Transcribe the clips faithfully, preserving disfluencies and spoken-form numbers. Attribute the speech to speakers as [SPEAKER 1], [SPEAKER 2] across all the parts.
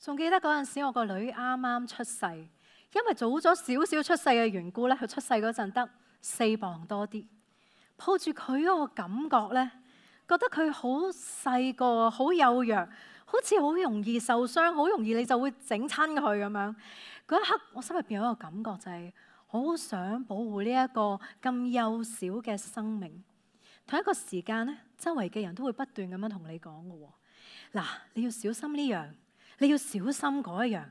[SPEAKER 1] 仲記得嗰陣時，我個女啱啱出世，因為早咗少少出世嘅緣故咧，佢出世嗰陣得四磅多啲。抱住佢嗰個感覺咧，覺得佢好細個，好幼弱，好似好容易受傷，好容易你就會整親佢咁樣。嗰一刻，我心入邊有一個感覺，就係好想保護呢一個咁幼小嘅生命。同一個時間咧，周圍嘅人都會不斷咁樣同你講嘅喎。嗱，你要小心呢樣，你要小心嗰一樣。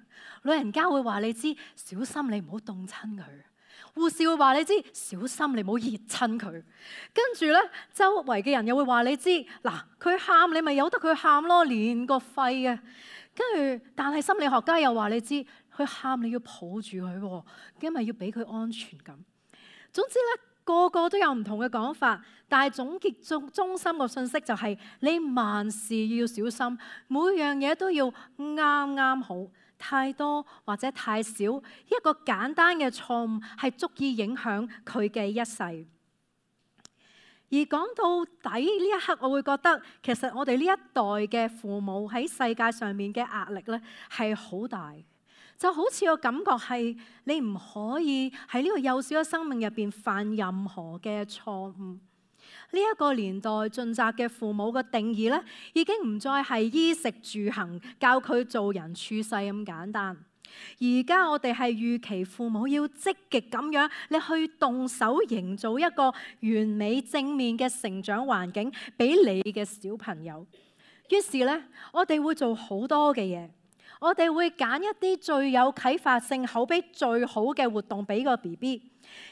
[SPEAKER 1] 老人家會話你知，小心你唔好凍親佢。護士會話你知，小心你唔好熱親佢。跟住咧，周圍嘅人又會話你知，嗱，佢喊你咪由得佢喊咯，連個肺啊。跟住，但係心理學家又話你知，佢喊你要抱住佢，因為要俾佢安全感。總之咧，個個都有唔同嘅講法，但係總結中中心個信息就係、是、你萬事要小心，每樣嘢都要啱啱好，太多或者太少，一個簡單嘅錯誤係足以影響佢嘅一世。而講到底呢一刻，我會覺得其實我哋呢一代嘅父母喺世界上面嘅壓力咧係好大。就好似個感覺係你唔可以喺呢個幼小嘅生命入邊犯任何嘅錯誤。呢、這、一個年代盡責嘅父母嘅定義咧，已經唔再係衣食住行教佢做人處世咁簡單。而家我哋係預期父母要積極咁樣，你去動手營造一個完美正面嘅成長環境俾你嘅小朋友。於是咧，我哋會做好多嘅嘢。我哋會揀一啲最有啟發性、口碑最好嘅活動俾個 B B。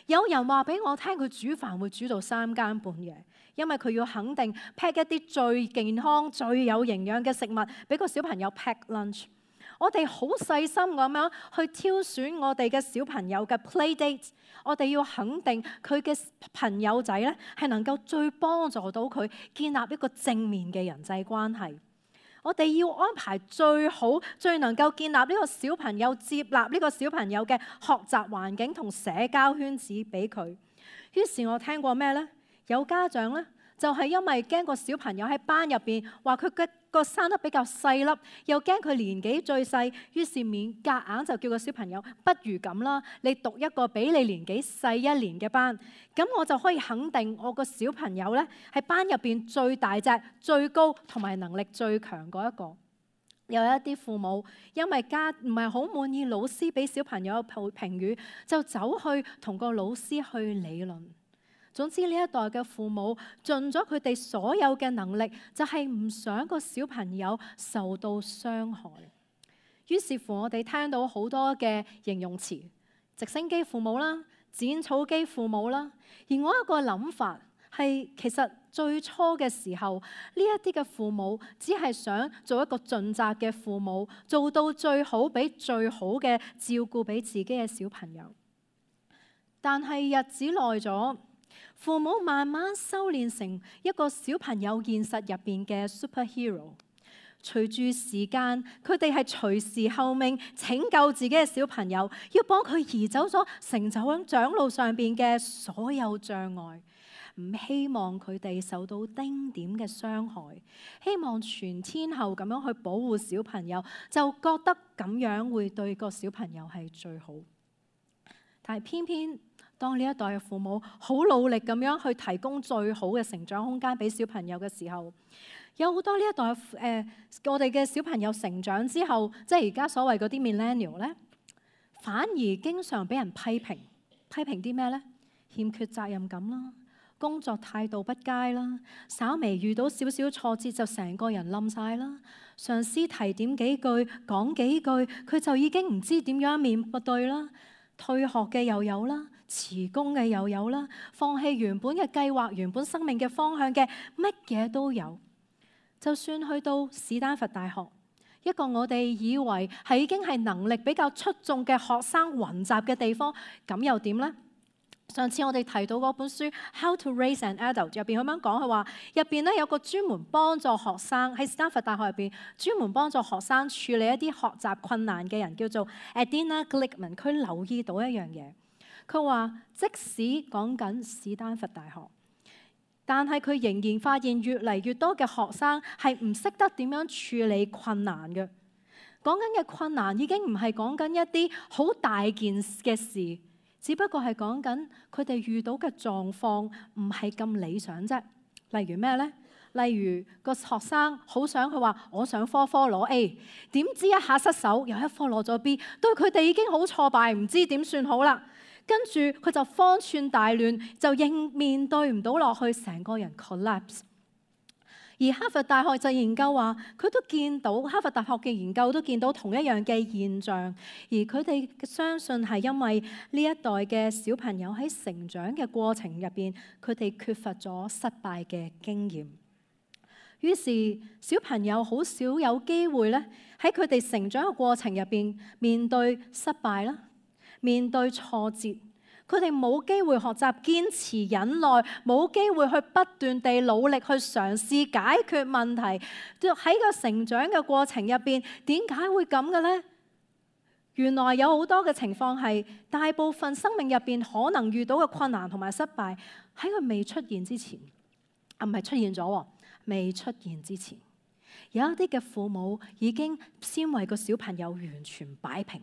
[SPEAKER 1] 有人話俾我聽，佢煮飯會煮到三更半夜，因為佢要肯定 pack 一啲最健康、最有營養嘅食物俾個小朋友 pack lunch。我哋好細心咁樣去挑選我哋嘅小朋友嘅 play date。我哋要肯定佢嘅朋友仔咧係能夠最幫助到佢建立一個正面嘅人際關係。我哋要安排最好、最能夠建立呢個小朋友、接納呢個小朋友嘅學習環境同社交圈子俾佢。於是我聽過咩呢？有家長呢，就係因為驚個小朋友喺班入邊話佢嘅個生得比較細粒，又驚佢年紀最細，於是勉夾硬就叫個小朋友不如咁啦，你讀一個比你年紀細一年嘅班，咁我就可以肯定我個小朋友呢係班入邊最大隻、最高同埋能力最強嗰一個。有一啲父母因為家唔係好滿意老師俾小朋友嘅評語，就走去同個老師去理論。總之呢一代嘅父母盡咗佢哋所有嘅能力，就係唔想個小朋友受到傷害。於是乎，我哋聽到好多嘅形容詞，直升機父母啦、剪草機父母啦。而我一個諗法係，其實最初嘅時候，呢一啲嘅父母只係想做一個盡責嘅父母，做到最好，俾最好嘅照顧俾自己嘅小朋友。但係日子耐咗，父母慢慢修煉成一個小朋友現實入邊嘅 superhero。隨住時間，佢哋係隨時候命拯救自己嘅小朋友，要幫佢移走咗成長長路上邊嘅所有障礙，唔希望佢哋受到丁點嘅傷害，希望全天候咁樣去保護小朋友，就覺得咁樣會對個小朋友係最好。但係偏偏當呢一代嘅父母好努力咁樣去提供最好嘅成長空間俾小朋友嘅時候，有好多呢一代誒、呃，我哋嘅小朋友成長之後，即係而家所謂嗰啲 millennial 咧，反而經常俾人批評，批評啲咩咧？欠缺責任感啦，工作態度不佳啦，稍微遇到少少挫折就成個人冧晒啦，上司提點幾句講幾句，佢就已經唔知點樣面對啦，退學嘅又有啦。辭工嘅又有啦，放棄原本嘅計劃、原本生命嘅方向嘅，乜嘢都有。就算去到史丹佛大學，一個我哋以為係已經係能力比較出眾嘅學生雲集嘅地方，咁又點呢？上次我哋提到嗰本書《How to Raise an Adult》入邊咁樣講，佢話入邊咧有個專門幫助學生喺史丹佛大學入邊專門幫助學生處理一啲學習困難嘅人，叫做 Adina Glickman。佢留意到一樣嘢。佢話：即使講緊史丹佛大學，但係佢仍然發現越嚟越多嘅學生係唔識得點樣處理困難嘅。講緊嘅困難已經唔係講緊一啲好大件嘅事，只不過係講緊佢哋遇到嘅狀況唔係咁理想啫。例如咩呢？例如個學生好想佢話我想科科攞 A， 點知一下失手有一科攞咗 B， 對佢哋已經好挫敗，唔知點算好啦。跟住佢就方寸大亂，就應面對唔到落去，成個人 collapse。而哈佛大學就研究話，佢都見到哈佛大學嘅研究都見到同一樣嘅現象，而佢哋相信係因為呢一代嘅小朋友喺成長嘅過程入邊，佢哋缺乏咗失敗嘅經驗。於是小朋友好少有機會咧喺佢哋成長嘅過程入邊面對失敗啦，面對挫折，佢哋冇機會學習堅持忍耐，冇機會去不斷地努力去嘗試解決問題。喺個成長嘅過程入邊，點解會咁嘅呢？原來有好多嘅情況係大部分生命入邊可能遇到嘅困難同埋失敗，喺佢未出現之前，啊唔係出現咗，未出現之前，有一啲嘅父母已經先為個小朋友完全擺平。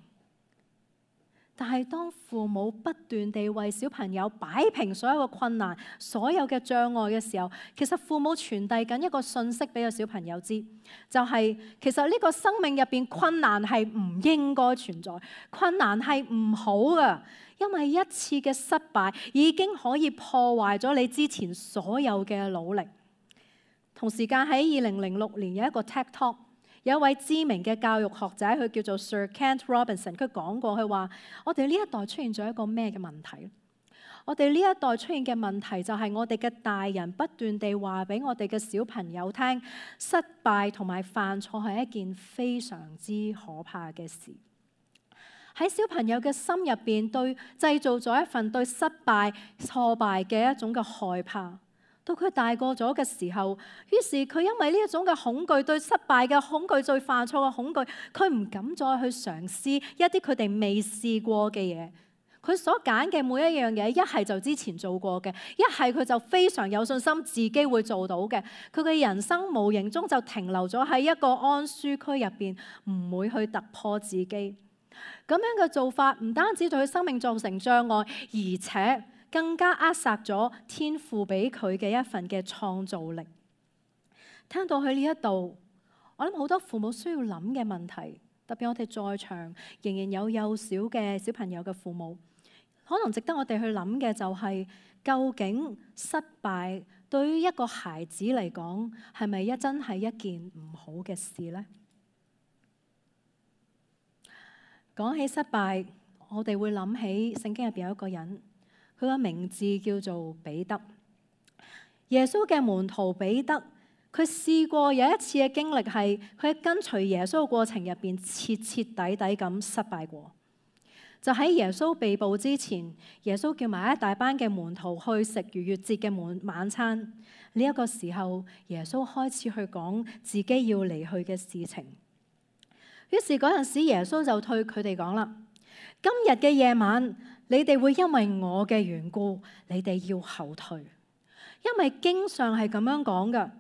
[SPEAKER 1] 但係當父母不斷地為小朋友擺平所有嘅困難、所有嘅障礙嘅時候，其實父母傳遞緊一個訊息俾個小朋友知，就係其實呢個生命入邊困難係唔應該存在，困難係唔好㗎，因為一次嘅失敗已經可以破壞咗你之前所有嘅努力。同時間喺二零零六年有一個 TED Talk， 有一位知名嘅教育學者，佢叫做 Sir Kent Robinson， 佢講過，佢話我哋呢一代出現咗一個咩嘅問題？我哋呢一代出現嘅問題就係我哋嘅大人不斷地話俾我哋嘅小朋友聽，失敗同埋犯錯係一件非常之可怕嘅事。喺小朋友嘅心入邊，對製造咗一份對失敗、挫敗嘅一種嘅害怕。到佢大個咗嘅時候，於是佢因為呢一種嘅恐懼，對失敗嘅恐懼，對犯錯嘅恐懼，佢唔敢再去嘗試一啲佢哋未試過嘅嘢。佢所揀嘅每一樣嘢，一係就之前做過嘅，一係佢就非常有信心自己會做到嘅。佢嘅人生無形中就停留咗喺一個安舒區入邊，唔會去突破自己。咁樣嘅做法唔單止對佢生命造成障礙，而且更加扼殺咗天父俾佢嘅一份嘅創造力。聽到佢呢一度，我諗好多父母需要諗嘅問題，特別我哋在場仍然有幼小嘅小朋友嘅父母，可能值得我哋去諗嘅就係，究竟失敗對於一個孩子嚟講，係咪一真係一件唔好嘅事呢？講起失敗，我哋會諗起聖經入邊有一個人。佢個名字叫做彼得，耶穌嘅門徒彼得，佢試過有一次嘅經歷係，佢喺跟隨耶穌嘅過程入邊徹徹底底咁失敗過。就喺耶穌被捕之前，耶穌叫埋一大班嘅門徒去食逾越節嘅晚晚餐。呢一個時候，耶穌開始去講自己要離去嘅事情。於是嗰陣時，耶穌就對佢哋講啦：今日嘅夜晚，你哋會因為我嘅緣故，你哋要後退，因為經上係咁樣講㗎。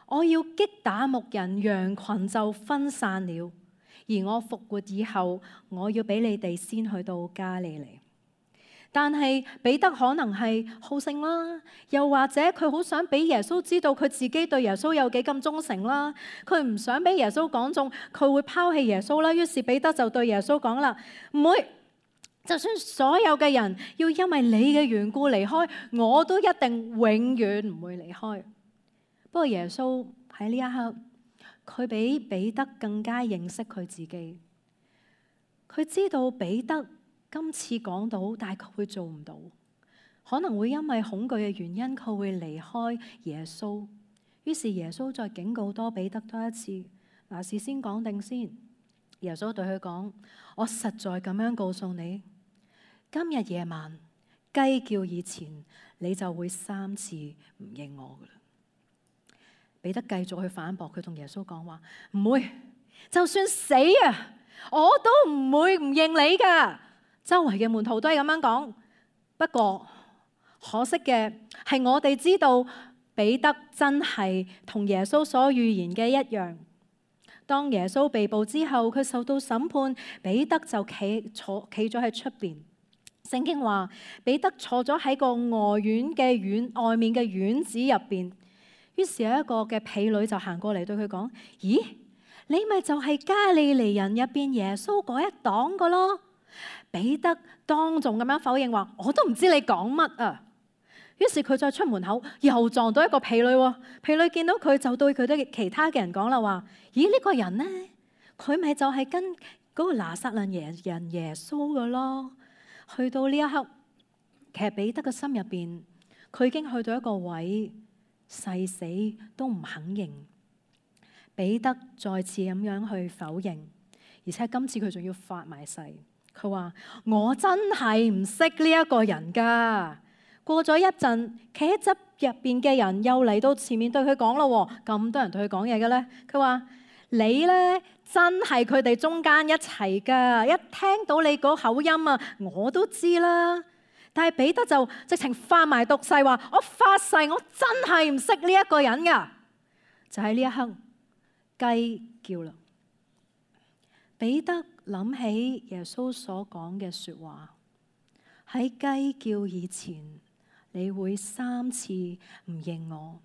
[SPEAKER 1] 我要擊打牧人，羊群就分散了。而我復活以後，我要俾你哋先去到加利利。但係彼得可能係好勝啦，又或者佢好想俾耶穌知道佢自己對耶穌有幾咁忠誠啦。佢唔想俾耶穌講中佢會拋棄耶穌啦。於是彼得就對耶穌講啦：唔會。就算所有嘅人要因為你嘅緣故離開，我都一定永遠唔會離開。不過耶穌喺呢一刻，佢比彼得更加認識佢自己。佢知道彼得今次講到，但係佢會做唔到，可能會因為恐懼嘅原因，佢會離開耶穌。於是耶穌再警告多彼得多一次。嗱，事先講定先。耶穌對佢講：我實在咁樣告訴你，今日夜晚雞叫以前，你就會三次唔認我噶啦。彼得繼續去反駁，佢同耶穌講話：唔會，就算死啊，我都唔會唔認你噶。周圍嘅門徒都係咁樣講。不過可惜嘅係，我哋知道彼得真係同耶穌所預言嘅一樣。當耶穌被捕之後，佢受到審判，彼得就企坐企咗喺出邊。聖經話彼得坐咗喺個外院嘅院外面嘅院子入邊。於是有一個嘅婢女就行過嚟對佢講：咦，你咪就係加利利人入邊耶穌嗰一黨噶咯？彼得當眾咁樣否認話：我都唔知你講乜啊！於是佢再出門口，又撞到一個婢女喎。婢女見到佢就對佢啲其他嘅人講啦話：咦，呢個人呢？佢咪就係跟嗰個拿撒勒耶人耶穌噶咯？去到呢一刻，其實彼得嘅心入邊，佢已經去到一個位，誓死都唔肯認。彼得再次咁樣去否認，而且今次佢仲要發埋誓，佢話：我真係唔識呢一個人噶。過咗一陣，企喺側入邊嘅人又嚟到前面對佢講咯，咁多人對佢講嘢嘅咧，佢話：你咧真係佢哋中間一齊噶，一聽到你嗰口音啊，我都知啦。但係彼得就直情發埋毒誓話：我發誓，我真係唔識呢一個人噶。就喺呢一刻，雞叫啦。彼得諗起耶穌所講嘅說話，喺雞叫以前，你會三次唔認我。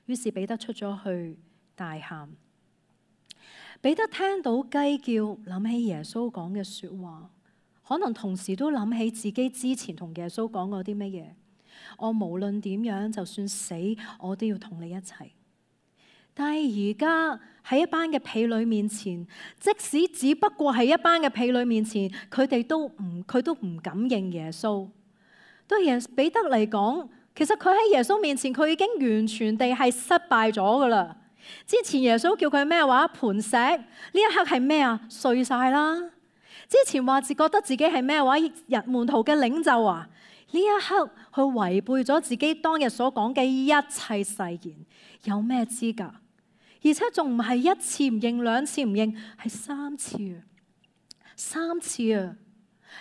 [SPEAKER 1] 於是彼得出咗去大喊。彼得聽到雞叫，諗起耶穌講嘅說話，可能同時都諗起自己之前同耶穌講過啲乜嘢。我無論點樣，就算死，我都要同你一齊。但係而家喺一班嘅婢女面前，即使只不過係一班嘅婢女面前，佢哋都唔佢都唔敢認耶穌。對耶彼得嚟講，其實佢喺耶穌面前，佢已經完全地係失敗咗噶啦。之前耶穌叫佢咩話？磐石，呢一刻係咩啊？碎晒啦。之前話自覺得自己係咩話？日門徒嘅領袖啊，呢一刻佢違背咗自己當日所講嘅一切誓言，有咩資格？而且仲唔係一次唔認，兩次唔認，係三次啊！三次啊！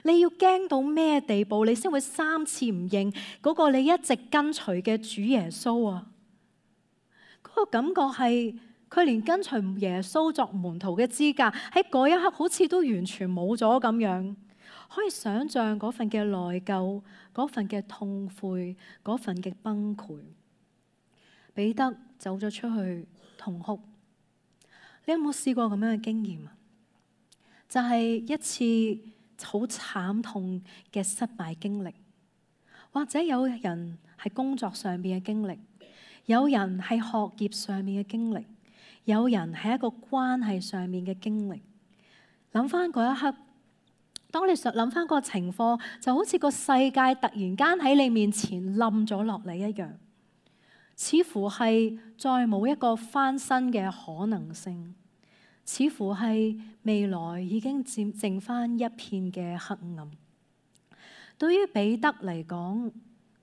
[SPEAKER 1] 你要驚到咩地步，你先會三次唔認嗰個你一直跟隨嘅主耶穌啊？嗰個感覺係佢連跟隨耶穌作門徒嘅資格喺嗰一刻好似都完全冇咗咁樣。可以想象嗰份嘅內疚，嗰份嘅痛悔，嗰份嘅崩潰。彼得走咗出去痛哭。你有冇試過咁樣嘅經驗啊？就係一次好慘痛嘅失敗經歷，或者有人係工作上邊嘅經歷，有人係學業上面嘅經歷，有人係一個關係上面嘅經歷。諗翻嗰一刻，當你想諗翻個情況，就好似個世界突然間喺你面前冧咗落嚟一樣，似乎係再冇一個翻身嘅可能性。似乎係未來已經剩剩翻一片嘅黑暗。對於彼得嚟講，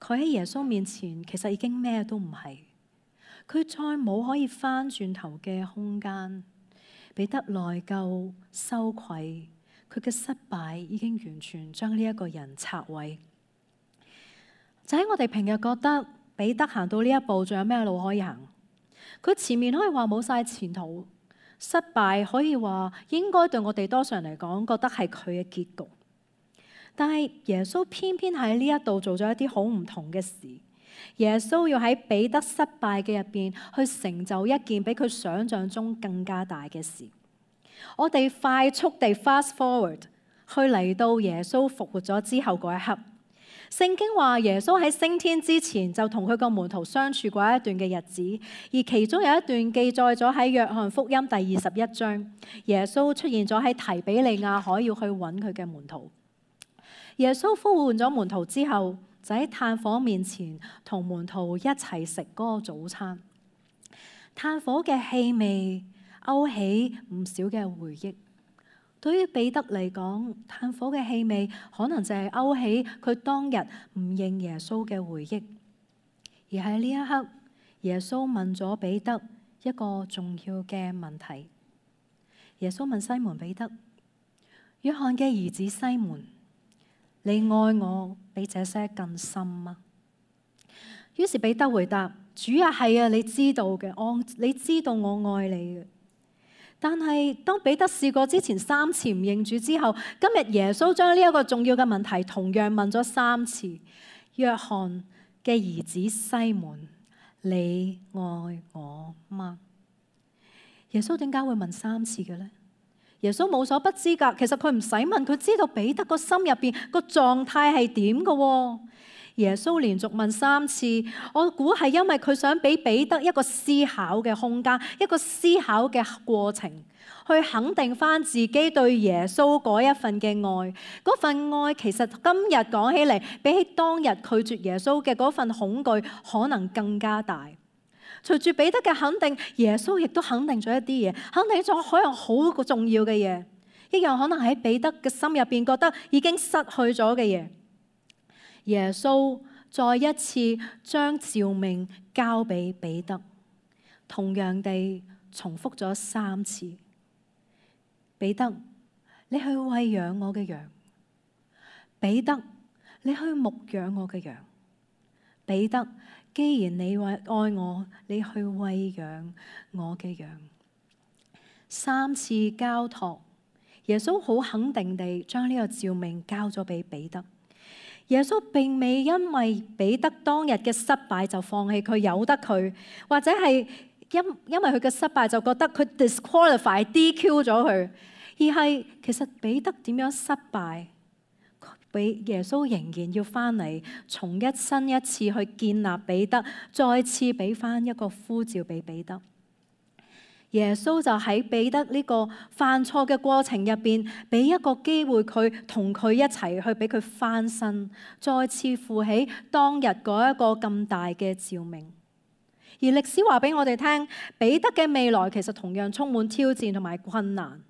[SPEAKER 1] 佢喺耶穌面前其實已經咩都唔係，佢再冇可以翻轉頭嘅空間。彼得內疚、羞愧，佢嘅失敗已經完全將呢一個人拆毀。就喺我哋平日覺得彼得行到呢一步，仲有咩路可以行？佢前面可以話冇晒前途。失敗可以話應該對我哋多數人嚟講覺得係佢嘅結局，但係耶穌偏偏喺呢一度做咗一啲好唔同嘅事。耶穌要喺彼得失敗嘅入邊去成就一件比佢想象中更加大嘅事。我哋快速地 fast forward 去嚟到耶穌復活咗之後嗰一刻。聖經話耶穌喺升天之前就同佢個門徒相處過一段嘅日子，而其中有一段記載咗喺約翰福音第二十一章，耶穌出現咗喺提比利亞海，要去揾佢嘅門徒。耶穌呼喚咗門徒之後，就喺炭火面前同門徒一齊食嗰個早餐。炭火嘅氣味勾起唔少嘅回憶。對於彼得嚟講，炭火嘅氣味可能就係勾起佢當日唔認耶穌嘅回憶。而喺呢一刻，耶穌問咗彼得一個重要嘅問題。耶穌問西門彼得：約翰嘅兒子西門，你愛我比這些更深嗎？於是彼得回答：主啊，係啊，你知道嘅，我你知道我愛你嘅。但係當彼得試過之前三次唔認主之後，今日耶穌將呢一個重要嘅問題同樣問咗三次。約翰嘅兒子西門，你愛我嗎？耶穌點解會問三次嘅呢？耶穌冇所不知噶，其實佢唔使問，佢知道彼得個心入邊個狀態係點噶。耶穌連續問三次，我估係因為佢想俾彼得一個思考嘅空間，一個思考嘅過程，去肯定翻自己對耶穌嗰一份嘅愛。嗰份愛其實今日講起嚟，比起當日拒絕耶穌嘅嗰份恐懼，可能更加大。隨住彼得嘅肯定，耶穌亦都肯定咗一啲嘢，肯定咗可能好個重要嘅嘢，一樣可能喺彼得嘅心入邊覺得已經失去咗嘅嘢。耶穌再一次將召命交俾彼得，同樣地重複咗三次。彼得，你去餵養我嘅羊。彼得，你去牧養我嘅羊。彼得，既然你愛我，你去餵養我嘅羊。三次交託，耶穌好肯定地將呢個召命交咗俾彼得。耶穌並未因為彼得當日嘅失敗就放棄佢，由得佢，或者係因因為佢嘅失敗就覺得佢 disqualify D Q 咗佢，而係其實彼得點樣失敗，俾耶穌仍然要翻嚟，重一新一次去建立彼得，再次俾翻一個呼召俾彼得。耶穌就喺彼得呢個犯錯嘅過程入邊，俾一個機會佢同佢一齊去俾佢翻身，再次負起當日嗰一個咁大嘅召命。而歷史話俾我哋聽，彼得嘅未來其實同樣充滿挑戰同埋困難。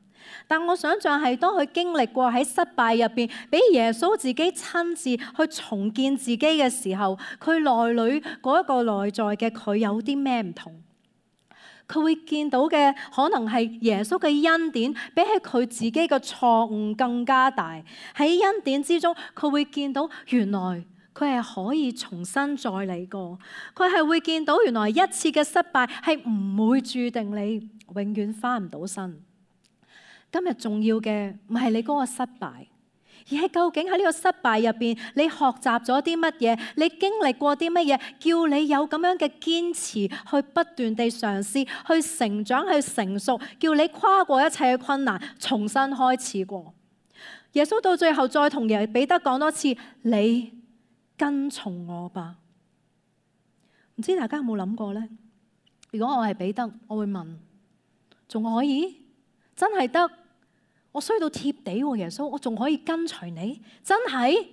[SPEAKER 1] 但我想象係當佢經歷過喺失敗入邊，俾耶穌自己親自去重建自己嘅時候，佢內裏嗰一個內在嘅佢有啲咩唔同？佢會見到嘅可能係耶穌嘅恩典，比起佢自己嘅錯誤更加大。喺恩典之中，佢會見到原來佢係可以重新再嚟過。佢係會見到原來一次嘅失敗係唔會注定你永遠翻唔到身。今日重要嘅唔係你嗰個失敗，而係究竟喺呢個失敗入邊，你學習咗啲乜嘢？你經歷過啲乜嘢？叫你有咁樣嘅堅持，去不斷地嘗試，去成長，去成熟，叫你跨過一切嘅困難，重新開始過。耶穌到最後再同耶彼得講多次：你跟從我吧。唔知大家有冇諗過呢？如果我係彼得，我會問：仲可以？真係得？我衰到貼地喎，耶穌，我仲可以跟隨你？真係？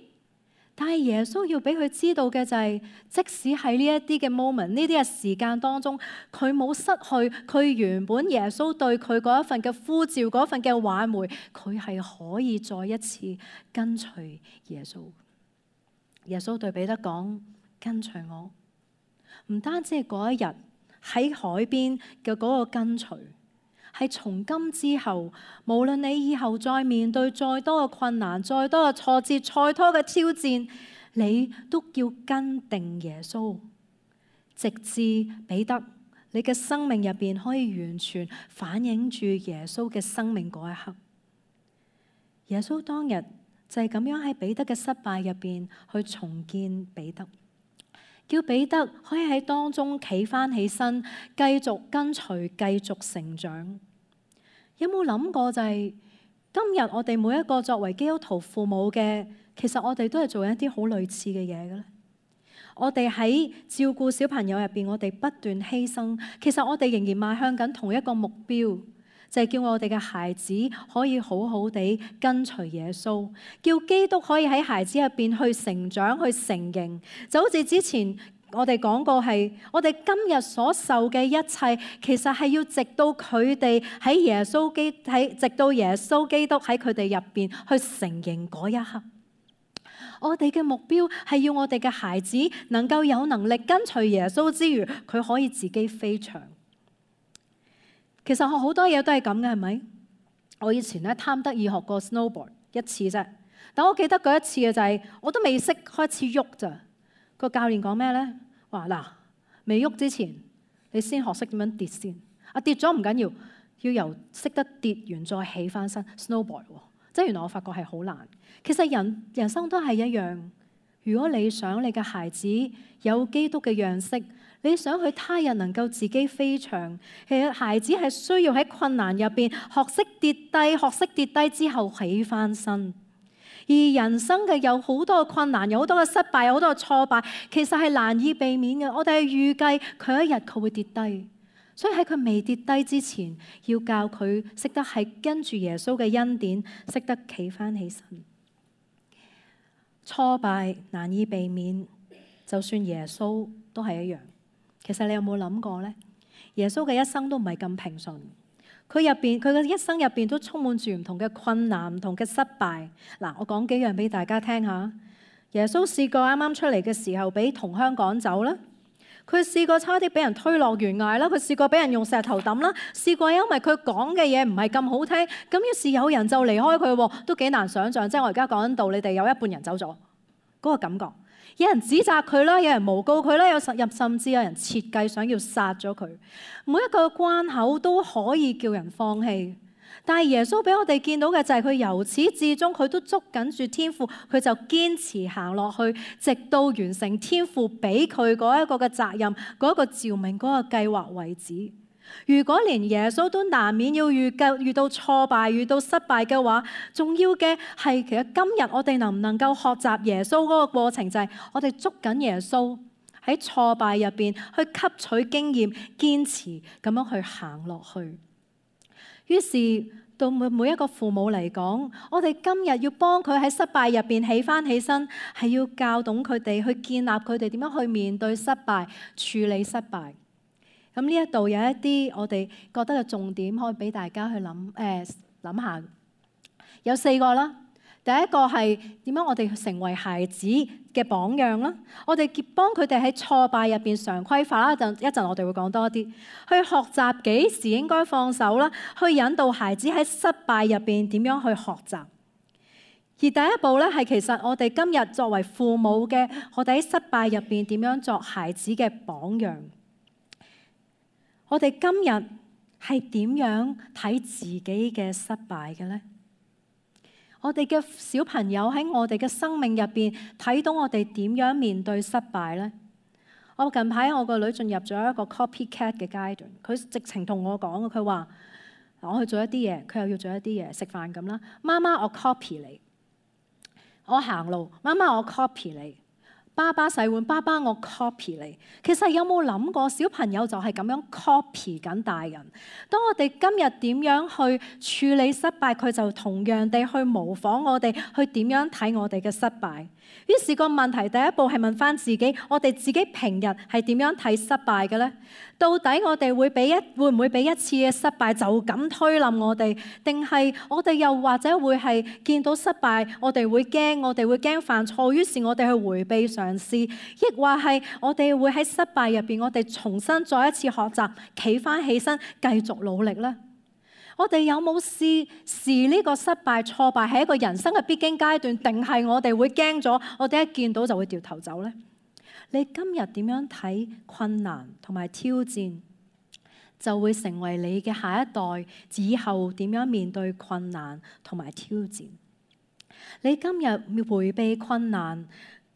[SPEAKER 1] 但係耶穌要俾佢知道嘅就係，即使喺呢一啲嘅 moment，呢啲嘅時間當中，佢冇失去佢原本耶穌對佢嗰一份嘅呼召，嗰一份嘅挽回，佢係可以再一次跟隨耶穌。耶穌對彼得講：跟隨我，唔單止係嗰一日喺海邊嘅嗰個跟隨。係從今之後，無論你以後再面對再多嘅困難、再多嘅挫折、再多嘅挑戰，你都要跟定耶穌，直至彼得你嘅生命入邊可以完全反映住耶穌嘅生命嗰一刻。耶穌當日就係咁樣喺彼得嘅失敗入邊去重建彼得，叫彼得可以喺當中企返起身，繼續跟隨，繼續成長。有冇諗過就係、是、今日我哋每一個作為基督徒父母嘅，其實我哋都係做一啲好類似嘅嘢嘅咧。我哋喺照顧小朋友入邊，我哋不斷犧牲，其實我哋仍然邁向緊同一個目標，就係、是、叫我哋嘅孩子可以好好地跟隨耶穌，叫基督可以喺孩子入邊去成長、去成形，就好似之前我哋講過係，我哋今日所受嘅一切，其實係要直到佢哋喺耶穌基喺，直到耶穌基督喺佢哋入邊去成形嗰一刻。我哋嘅目標係要我哋嘅孩子能夠有能力跟隨耶穌之餘，佢可以自己飛翔。其實我好多嘢都係咁嘅，係咪？我以前咧貪得意學過 snowboard 一次啫，但我記得嗰一次嘅就係、是、我都未識開始喐咋。個教練講咩咧？話嗱，未喐之前，你先學識點樣跌先。啊，跌咗唔緊要，要由識得跌完再起翻身 snowboard 喎，即係原來我發覺係好難。其實人人生都係一樣。如果你想你嘅孩子有基督嘅樣式，你想佢他日能夠自己飛翔，其實孩子係需要喺困難入邊學識跌低，學識跌低之後起翻身。而人生嘅有好多嘅困難，有好多嘅失敗，有好多嘅挫敗，其實係難以避免嘅。我哋係預計佢一日佢會跌低，所以喺佢未跌低之前，要教佢識得係跟住耶穌嘅恩典，識得企翻起身。挫敗難以避免，就算耶穌都係一樣。其實你有冇諗過呢？耶穌嘅一生都唔係咁平順。佢入邊，佢嘅一生入邊都充滿住唔同嘅困難、唔同嘅失敗。嗱，我講幾樣俾大家聽下。耶穌試過啱啱出嚟嘅時候，俾同鄉趕走啦。佢試過差啲俾人推落懸崖啦。佢試過俾人用石頭抌啦。試過因為佢講嘅嘢唔係咁好聽，咁於是有人就離開佢，都幾難想像。即係我而家講緊道，你哋有一半人走咗，嗰個感覺。有人指責佢啦，有人誣告佢啦，有甚甚至有人設計想要殺咗佢。每一個關口都可以叫人放棄，但係耶穌俾我哋見到嘅就係佢由始至終佢都捉緊住天父，佢就堅持行落去，直到完成天父俾佢嗰一個嘅責任、嗰一個召命、嗰個計劃為止。如果連耶穌都難免要遇到遇到挫敗、遇到失敗嘅話，重要嘅係其實今日我哋能唔能夠學習耶穌嗰個過程，就係我哋捉緊耶穌喺挫敗入邊去吸取經驗，堅持咁樣去行落去。於是到每每一個父母嚟講，我哋今日要幫佢喺失敗入邊起翻起身，係要教懂佢哋，去建立佢哋點樣去面對失敗、處理失敗。咁呢一度有一啲我哋覺得嘅重點，可以俾大家去諗誒諗下。有四個啦。第一個係點樣我哋成為孩子嘅榜樣啦。我哋幫佢哋喺挫敗入邊常規化啦。一陣一陣我哋會講多啲，去學習幾時應該放手啦，去引導孩子喺失敗入邊點樣去學習。而第一步咧係其實我哋今日作為父母嘅，我哋喺失敗入邊點樣作孩子嘅榜樣。我哋今日係點樣睇自己嘅失敗嘅呢？我哋嘅小朋友喺我哋嘅生命入邊睇到我哋點樣面對失敗呢？我近排我個女進入咗一個 copycat 嘅階段，佢直情同我講，佢話我去做一啲嘢，佢又要做一啲嘢，食飯咁啦。媽媽，我 copy 你；我行路，媽媽我 copy 你。爸爸洗碗，爸爸我 copy 你。其實有冇諗過小朋友就係咁樣 copy 緊大人？當我哋今日點樣去處理失敗，佢就同樣地去模仿我哋，去點樣睇我哋嘅失敗。於是個問題第一步係問翻自己，我哋自己平日係點樣睇失敗嘅呢？到底我哋會俾一會唔會俾一次嘅失敗就咁推冧我哋？定係我哋又或者會係見到失敗，我哋會驚，我哋會驚犯錯，於是我哋去迴避嘗試，亦或係我哋會喺失敗入邊，我哋重新再一次學習，企翻起身，繼續努力呢？我哋有冇試試呢個失敗挫敗係一個人生嘅必經階段，定係我哋會驚咗，我哋一見到就會掉頭走呢？你今日點樣睇困難同埋挑戰，就會成為你嘅下一代以後點樣面對困難同埋挑戰。你今日迴避困難，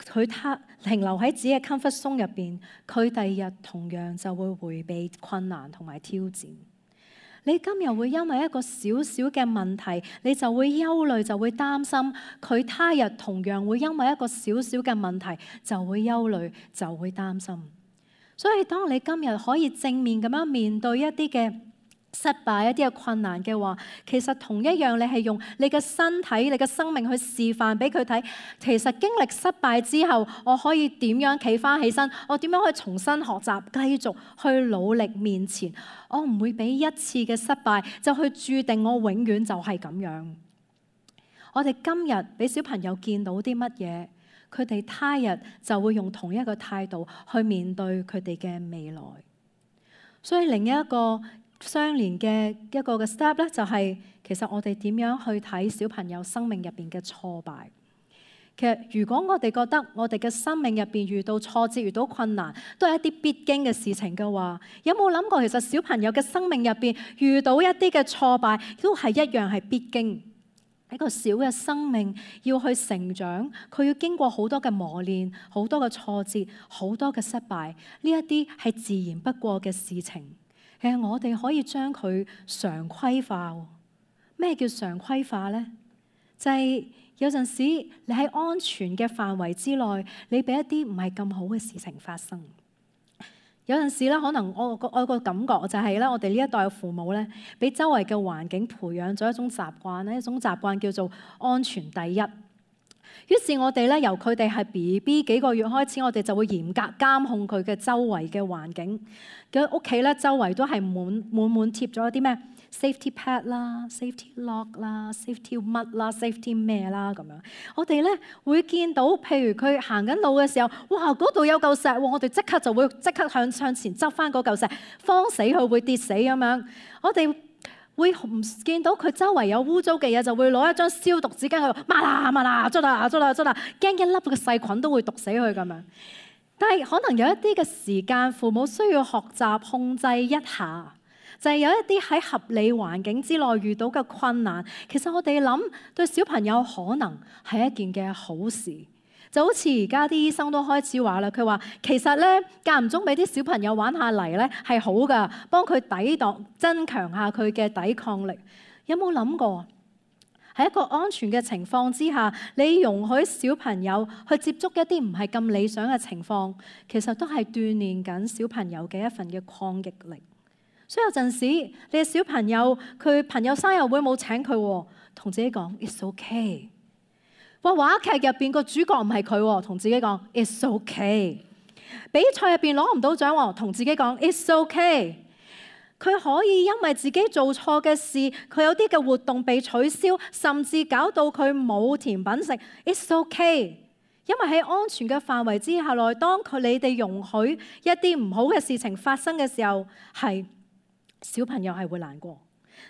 [SPEAKER 1] 佢他停留喺自己嘅 comfort zone 入邊，佢第二日同樣就會迴避困難同埋挑戰。你今日會因為一個小小嘅問題，你就會憂慮，就會擔心；佢他日同樣會因為一個小小嘅問題，就會憂慮，就會擔心。所以當你今日可以正面咁樣面對一啲嘅失敗、一啲嘅困難嘅話，其實同一樣，你係用你嘅身體、你嘅生命去示範俾佢睇。其實經歷失敗之後，我可以點樣企翻起身？我點樣可以重新學習，繼續去努力面前？我唔會俾一次嘅失敗就去注定我永遠就係咁樣。我哋今日俾小朋友見到啲乜嘢，佢哋他日就會用同一個態度去面對佢哋嘅未來。所以另一個相連嘅一個嘅 step 咧，就係其實我哋點樣去睇小朋友生命入邊嘅挫敗。其實如果我哋覺得我哋嘅生命入邊遇到挫折、遇到困難，都係一啲必經嘅事情嘅話，有冇諗過其實小朋友嘅生命入邊遇到一啲嘅挫敗，都係一樣係必經。一個小嘅生命要去成長，佢要經過好多嘅磨練、好多嘅挫折、好多嘅失敗，呢一啲係自然不過嘅事情。其實我哋可以將佢常規化。咩叫常規化呢？就係、是、有陣時你喺安全嘅範圍之內，你俾一啲唔係咁好嘅事情發生。有陣時咧，可能我個我個感覺就係咧，我哋呢一代嘅父母咧，俾周圍嘅環境培養咗一種習慣咧，一種習慣叫做安全第一。於是我哋咧，由佢哋係 B B 幾個月開始，我哋就會嚴格監控佢嘅周圍嘅環境。佢屋企咧，周圍都係滿滿滿貼咗啲咩 safety pad 啦、safety lock 啦、safety 乜啦、safety 咩啦咁樣。我哋咧會見到，譬如佢行緊路嘅時候，哇嗰度有嚿石喎，我哋即刻就會即刻向向前執翻嗰嚿石，慌死佢會跌死咁樣。我哋會唔見到佢周圍有污糟嘅嘢，就會攞一張消毒紙巾喺度抹啦抹啦捽啦捽啦捽啦，驚一粒嘅細菌都會毒死佢咁樣。但係可能有一啲嘅時間，父母需要學習控制一下，就係有一啲喺合理環境之內遇到嘅困難，其實我哋諗對小朋友可能係一件嘅好事。就好似而家啲醫生都開始話啦，佢話其實咧間唔中俾啲小朋友玩下泥咧係好噶，幫佢抵擋、增強下佢嘅抵抗力。有冇諗過喺一個安全嘅情況之下，你容許小朋友去接觸一啲唔係咁理想嘅情況，其實都係鍛鍊緊小朋友嘅一份嘅抗逆力。所以有陣時你嘅小朋友佢朋友生日會冇請佢，同自己講 It's okay。話話劇入邊個主角唔係佢，同自己講 It's okay。比賽入邊攞唔到獎，同自己講 It's okay。佢可以因為自己做錯嘅事，佢有啲嘅活動被取消，甚至搞到佢冇甜品食 It's okay。因為喺安全嘅範圍之下內，當佢你哋容許一啲唔好嘅事情發生嘅時候，係小朋友係會難過。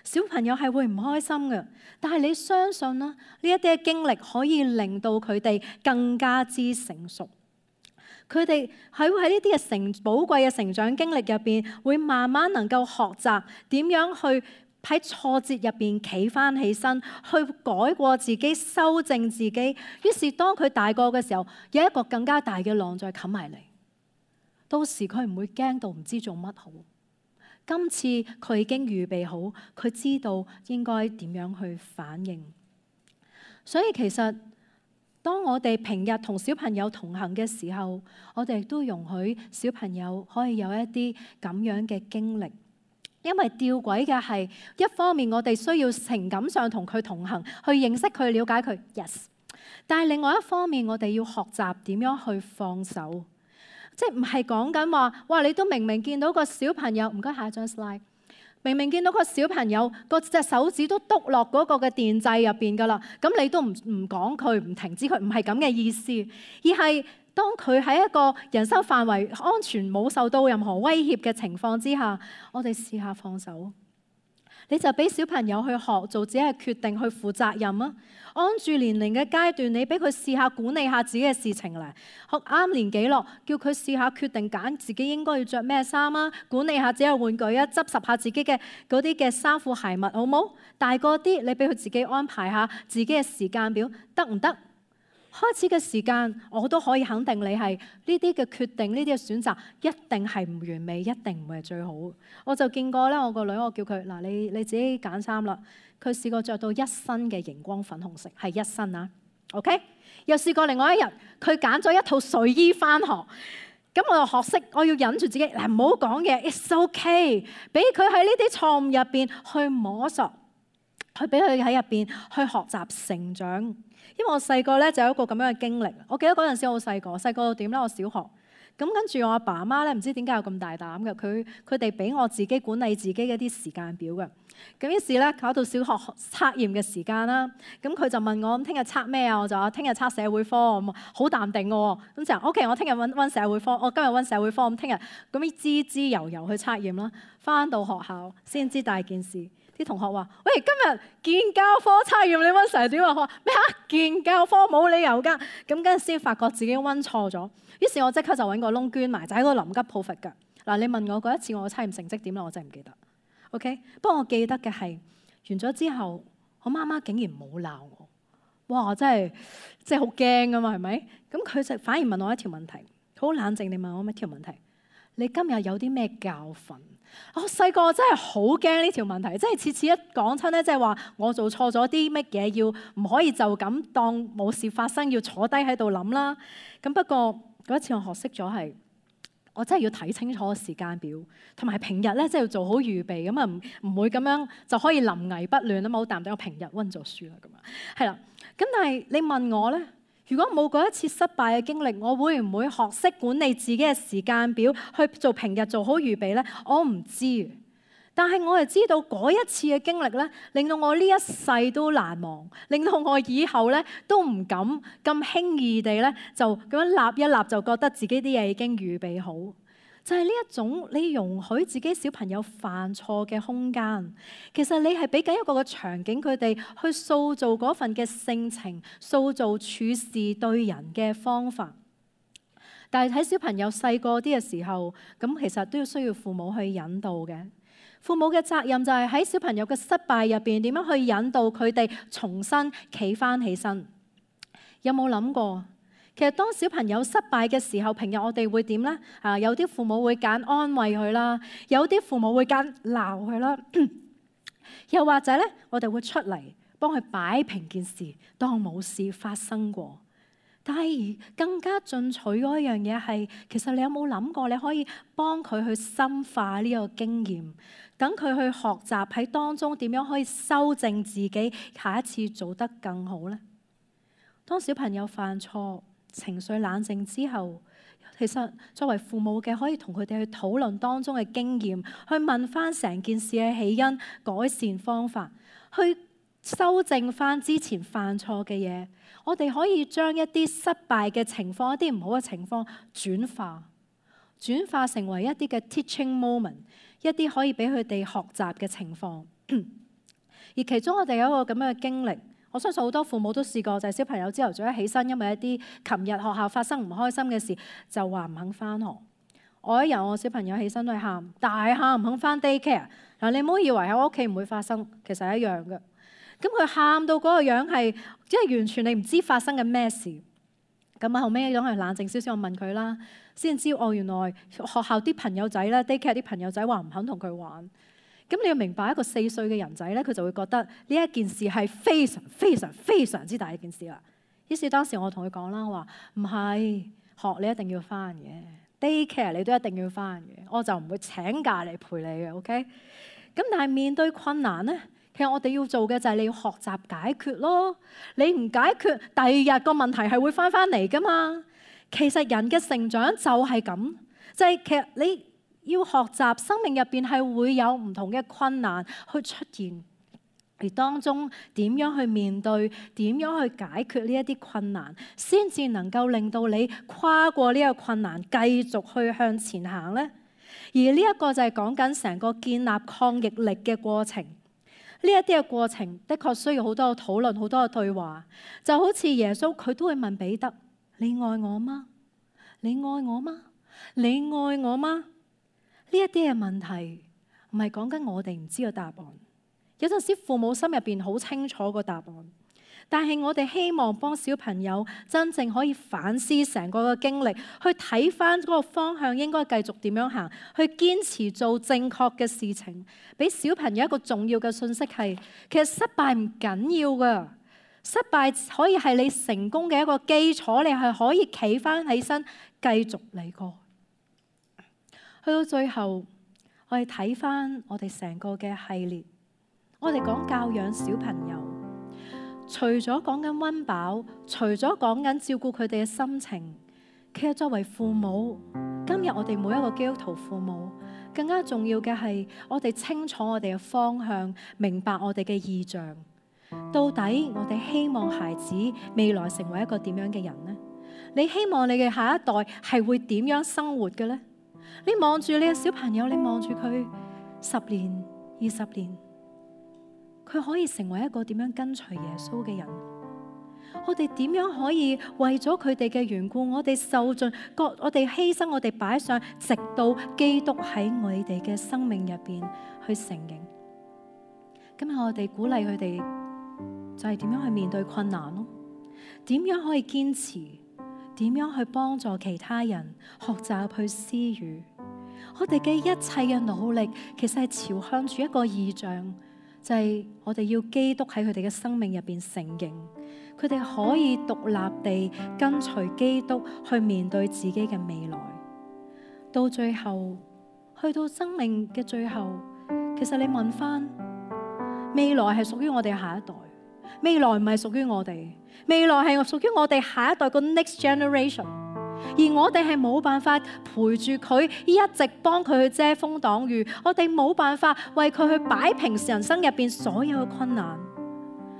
[SPEAKER 1] 小朋友係會唔開心嘅，但係你相信啦，呢一啲嘅經歷可以令到佢哋更加之成熟。佢哋喺喺呢啲嘅成寶貴嘅成長經歷入邊，會慢慢能夠學習點樣去喺挫折入邊企翻起身，去改過自己、修正自己。於是當佢大個嘅時候，有一個更加大嘅浪再冚埋嚟，到時佢唔會驚到唔知做乜好。今次佢已經預備好，佢知道應該點樣去反應。所以其實當我哋平日同小朋友同行嘅時候，我哋亦都容許小朋友可以有一啲咁樣嘅經歷。因為吊詭嘅係，一方面我哋需要情感上同佢同行，去認識佢、了解佢 ，yes。但係另外一方面，我哋要學習點樣去放手。即係唔係講緊話，哇！你都明明見到個小朋友，唔該下一張 slide， 明明見到個小朋友個隻手指都篤落嗰個嘅電掣入邊㗎啦，咁你都唔唔講佢，唔停止佢，唔係咁嘅意思，而係當佢喺一個人生範圍安全冇受到任何威脅嘅情況之下，我哋試下放手。你就俾小朋友去學做自己嘅決定，去負責任啊！按住年齡嘅階段，你俾佢試下管理下自己嘅事情咧，學啱年紀咯，叫佢試下決定揀自己應該要着咩衫啊，管理下自己嘅玩具啊，執拾下自己嘅嗰啲嘅衫褲鞋襪，好冇？大個啲，你俾佢自己安排下自己嘅時間表，得唔得？開始嘅時間，我都可以肯定你係呢啲嘅決定，呢啲嘅選擇一定係唔完美，一定唔係最好。我就見過咧，我個女，我叫佢嗱，你你自己揀衫啦。佢試過着到一身嘅熒光粉紅色，係一身啊。OK，又試過另外一日，佢揀咗一套睡衣返學。咁我又學識，我要忍住自己，嗱唔好講嘢 ，it's okay，俾佢喺呢啲錯誤入邊去摸索，去俾佢喺入邊去學習成長。因為我細個咧就有一個咁樣嘅經歷，我記得嗰陣時好細個，細個到點咧？我小學，咁跟住我阿爸阿媽咧，唔知點解有咁大膽嘅，佢佢哋俾我自己管理自己嘅啲時間表嘅。咁於是咧搞到小學測驗嘅時間啦，咁佢就問我：咁聽日測咩啊？我就話聽日測社會科，咁好淡定嘅喎。咁就 OK，我聽日温温社會科，我今日温社會科，咁聽日咁樣滋滋悠悠去測驗啦。翻到學校先知大件事，啲同學話：喂，今日建教科測驗你溫成點啊？我話咩啊？建教科冇理由㗎。咁跟住先發覺自己溫錯咗，於是我即刻就揾個窿捐埋，就喺度臨急抱佛腳。嗱，你問我嗰一次我嘅測驗成績點啦，我真係唔記得。OK， 不過我記得嘅係完咗之後，我媽媽竟然冇鬧我。哇！真係真係好驚㗎嘛，係咪？咁佢就反而問我一條問題，好冷靜地問我一條問題：你今日有啲咩教訓？我細個真係好驚呢條問題，即係次次一講親咧，即係話我做錯咗啲乜嘢，要唔可以就咁當冇事發生，要坐低喺度諗啦。咁不過嗰一次我學識咗係，我真係要睇清楚個時間表，同埋平日咧即係要做好預備，咁啊唔唔會咁樣就可以臨危不亂啊嘛。好淡定，我平日溫咗書啦，咁啊係啦。咁但係你問我咧？如果冇嗰一次失敗嘅經歷，我會唔會學識管理自己嘅時間表，去做平日做好預備呢？我唔知，但係我係知道嗰一次嘅經歷咧，令到我呢一世都難忘，令到我以後咧都唔敢咁輕易地咧就咁樣立一立就覺得自己啲嘢已經預備好。就係呢一種你容許自己小朋友犯錯嘅空間，其實你係俾緊一個嘅場景佢哋去塑造嗰份嘅性情，塑造處事對人嘅方法。但係喺小朋友細個啲嘅時候，咁其實都要需要父母去引導嘅。父母嘅責任就係喺小朋友嘅失敗入邊點樣去引導佢哋重新企返起身。有冇諗過？其實當小朋友失敗嘅時候，平日我哋會點呢？啊，有啲父母會揀安慰佢啦，有啲父母會揀鬧佢啦，又或者咧，我哋會出嚟幫佢擺平件事，當冇事發生過。但係更加進取嗰一樣嘢係，其實你有冇諗過，你可以幫佢去深化呢個經驗，等佢去學習喺當中點樣可以修正自己，下一次做得更好呢？當小朋友犯錯，情緒冷靜之後，其實作為父母嘅可以同佢哋去討論當中嘅經驗，去問翻成件事嘅起因、改善方法，去修正翻之前犯錯嘅嘢。我哋可以將一啲失敗嘅情況、一啲唔好嘅情況轉化，轉化成為一啲嘅 teaching moment， 一啲可以俾佢哋學習嘅情況。而其中我哋有一個咁樣嘅經歷。我相信好多父母都試過，就係小朋友朝頭早一起身，因為一啲琴日學校發生唔開心嘅事，就話唔肯返學。我一日我小朋友起身都係喊，大喊唔肯返 daycare。嗱，你唔好以為喺我屋企唔會發生，其實係一樣嘅。咁佢喊到嗰個樣係，即係完全你唔知發生緊咩事。咁啊後尾等佢冷靜少少，我問佢啦，先知哦，原來學校啲朋友仔咧 daycare 啲朋友仔話唔肯同佢玩。咁你要明白，一個四歲嘅人仔咧，佢就會覺得呢一件事係非常非常非常之大一件事啦。於是當時我同佢講啦，我話唔係，學你一定要返嘅 daycare 你都一定要返嘅，我就唔會請假嚟陪你嘅。OK，咁但係面對困難咧，其實我哋要做嘅就係你要學習解決咯。你唔解決，第二日個問題係會返返嚟噶嘛。其實人嘅成長就係咁，就係其實你要學習生命入邊係會有唔同嘅困難去出現，而當中點樣去面對，點樣去解決呢一啲困難，先至能夠令到你跨過呢個困難，繼續去向前行呢？而呢一個就係講緊成個建立抗逆力嘅過程。呢一啲嘅過程的確需要好多嘅討論，好多嘅對話。就好似耶穌佢都會問彼得：你愛我嗎？你愛我嗎？你愛我嗎？呢一啲嘅問題唔係講緊我哋唔知個答案，有陣時父母心入邊好清楚個答案，但係我哋希望幫小朋友真正可以反思成個嘅經歷，去睇翻嗰個方向應該繼續點樣行，去堅持做正確嘅事情。俾小朋友一個重要嘅信息係，其實失敗唔緊要噶，失敗可以係你成功嘅一個基礎，你係可以企翻起身繼續嚟過。去到最後，我哋睇翻我哋成個嘅系列，我哋講教養小朋友，除咗講緊溫飽，除咗講緊照顧佢哋嘅心情，其實作為父母，今日我哋每一個基督徒父母，更加重要嘅係我哋清楚我哋嘅方向，明白我哋嘅意象。到底我哋希望孩子未來成為一個點樣嘅人呢？你希望你嘅下一代係會點樣生活嘅呢？你望住你嘅小朋友，你望住佢十年、二十年，佢可以成為一個點樣跟隨耶穌嘅人？我哋點樣可以為咗佢哋嘅緣故，我哋受盡各，我哋犧牲，我哋擺上，直到基督喺我哋嘅生命入邊去成形。今日我哋鼓勵佢哋，就係點樣去面對困難咯？點樣可以堅持？點樣去幫助其他人學習去施予？我哋嘅一切嘅努力，其實係朝向住一個異象，就係我哋要基督喺佢哋嘅生命入邊成形，佢哋可以獨立地跟隨基督去面對自己嘅未來。到最後，去到生命嘅最後，其實你問翻，未來係屬於我哋下一代，未來唔係屬於我哋，未來係屬於我哋下一代個 next generation。而我哋係冇辦法陪住佢，一直幫佢去遮風擋雨，我哋冇辦法為佢去擺平人生入邊所有嘅困難。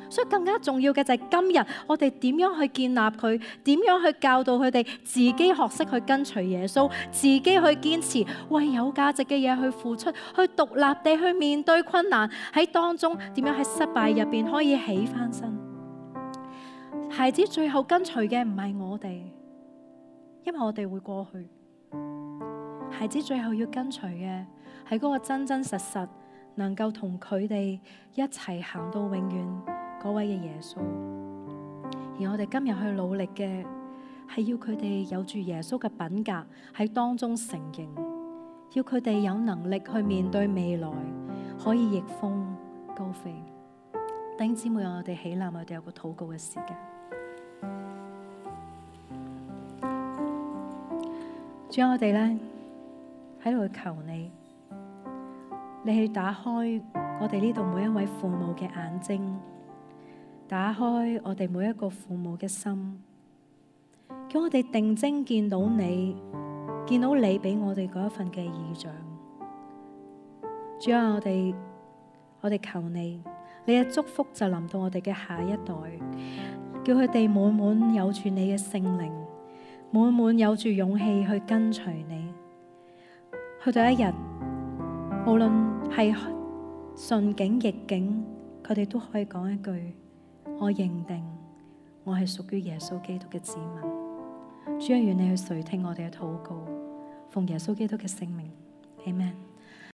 [SPEAKER 1] 所以更加重要嘅就係今日我哋點樣去建立佢，點樣去教導佢哋自己學識去跟隨耶穌，自己去堅持為有價值嘅嘢去付出，去獨立地去面對困難，喺當中點樣喺失敗入邊可以起翻身。孩子最後跟隨嘅唔係我哋，因為我哋會過去。孩子最後要跟隨嘅係嗰個真真實實能夠同佢哋一齊行到永遠嗰位嘅耶穌。而我哋今日去努力嘅係要佢哋有住耶穌嘅品格喺當中成形，要佢哋有能力去面對未來，可以逆風高飛。弟兄姊妹，我哋起立，我哋有個禱告嘅時間。主啊，我哋咧喺度求你，你去打開我哋呢度每一位父母嘅眼睛，打開我哋每一個父母嘅心，叫我哋定睛見到你，見到你俾我哋嗰一份嘅異象。主啊，我哋我哋求你，你嘅祝福就臨到我哋嘅下一代，叫佢哋滿滿有住你嘅聖靈，滿滿有住勇氣去跟隨你。去到一日，無論係順境逆境，佢哋都可以講一句：我認定我係屬於耶穌基督嘅子民。主啊，願你去垂聽我哋嘅禱告，奉耶穌基督嘅聖名，阿們。